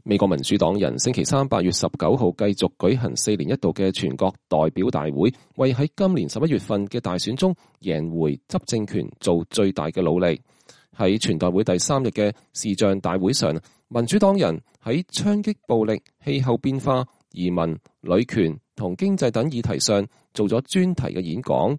美國民主黨人星期三8月19號繼續舉行4年一度嘅全國代表大會，為喺今年11月份嘅大選中贏回執政權做最大嘅努力。喺全代會第3日嘅視像大會上，民主黨人喺槍擊暴力、氣候變化、移民、女權同經濟等議題上做咗專題嘅演講。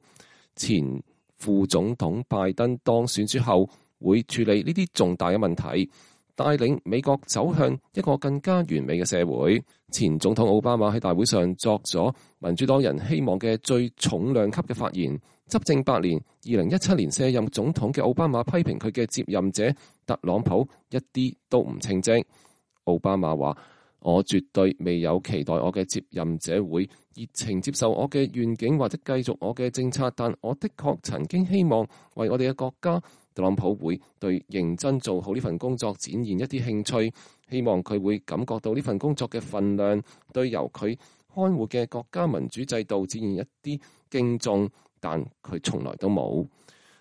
前副總統拜登當選之後會處理呢啲重大嘅問題，帶領美國走向一個更加完美嘅社會。前總統奧巴馬喺大會上作咗民主黨人希望嘅最重量級嘅發言。執政8年，2017年卸任總統嘅奧巴馬批評佢嘅接任者特朗普一啲都唔稱職。奧巴馬話：我絕對未有期待我嘅接任者會熱情接受我嘅願景或者繼續我嘅政策，但我的確曾經希望為我哋嘅國家，特朗普會對認真做好呢份工作展現一啲興趣，希望佢會感覺到呢份工作嘅分量，對由佢看護嘅國家民主制度展現一啲敬重。但佢從來都冇。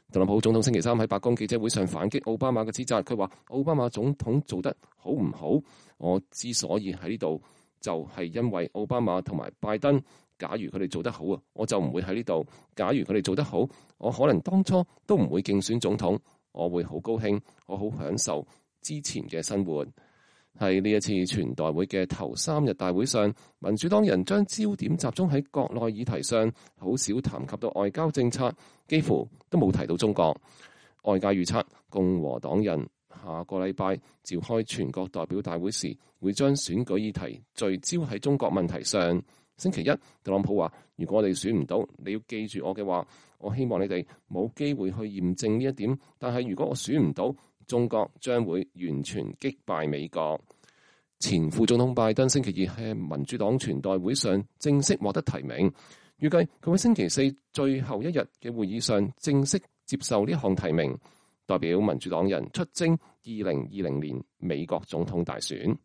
特朗普總統星期三喺白宮記者會上反擊奧巴馬嘅指責，佢話奧巴馬總統做得好唔好？我之所以喺呢度，就係因為奧巴馬同埋拜登。假如佢哋做得好啊，我就唔會喺呢度。假如佢哋做得好，我可能當初都唔會競選總統。我會好高興，我好享受之前嘅生活。喺呢一次全代會嘅頭3日大會上，民主黨人將焦點集中喺國內議題上，好少談及到外交政策，幾乎都冇提到中國。外界預測共和黨人下個禮拜召開全國代表大會時，會將選舉議題聚焦喺中國問題上。星期一，特朗普話：如果我哋選唔到，你要記住我嘅話，我希望你哋冇機會去驗證呢一點。但係如果我選唔到，中國將會完全擊敗美國。前副總統拜登星期二喺民主黨全代會上正式獲得提名，預計佢喺星期四最後一日嘅會議上正式接受呢項提名，代表民主黨人出征2020年美國總統大選。